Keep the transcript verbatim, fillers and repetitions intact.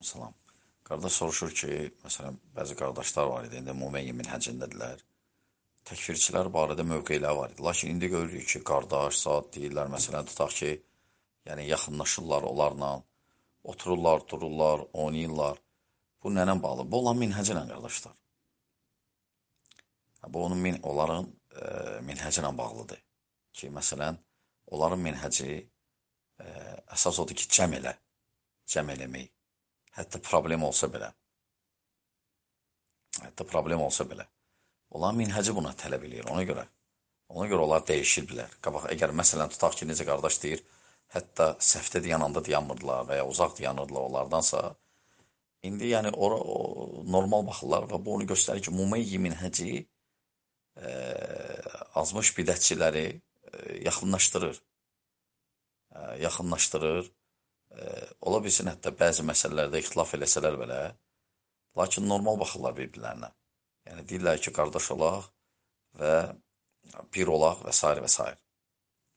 Salam. Qardaş soruşur ki, məsələn, bəzi qardaşlar var idi, indi Mumeyyi minhəcindədirlər. Təkfirçilər barədə mövqeləri var idi. Lakin indi görürük ki, qardaş, zat deyirlər, məsələn, tutaq ki, yəni yaxınlaşırlar onlarla, otururlar, dururlar, oynayırlar. Bu nənə bağlı? Bu olan minhəcə ilə qardaşlar. Bu onun min, onların e, minhəcə ilə bağlıdır. Ki, məsələn, onların minhəci e, əsas odur ki, cəm elə, cəm eləmək. Hətta problem olsa belə, hətta problem olsa belə. Olan minhəci buna tələb eləyir, ona görə. Ona görə onlar dəyişir bilər. Qabaq, əgər məsələn tutaq ki, necə qardaş deyir, hətta səhvdə dayananda dayanmırdılar və ya uzaq dayanırdılar onlardansa, indi yəni ora o, normal baxırlar və bu onu göstərir ki, Mumeyyi minhəci e, azmış bidətçiləri e, yaxınlaşdırır. E, yaxınlaşdırır. E, ola bilsin hətta bəzi məsələlərdə ixtilaf eləsələr belə, lakin normal baxırlar bir-birlərinə. Yəni deyirlər ki, qardaş olaq və bir olaq və s. və s.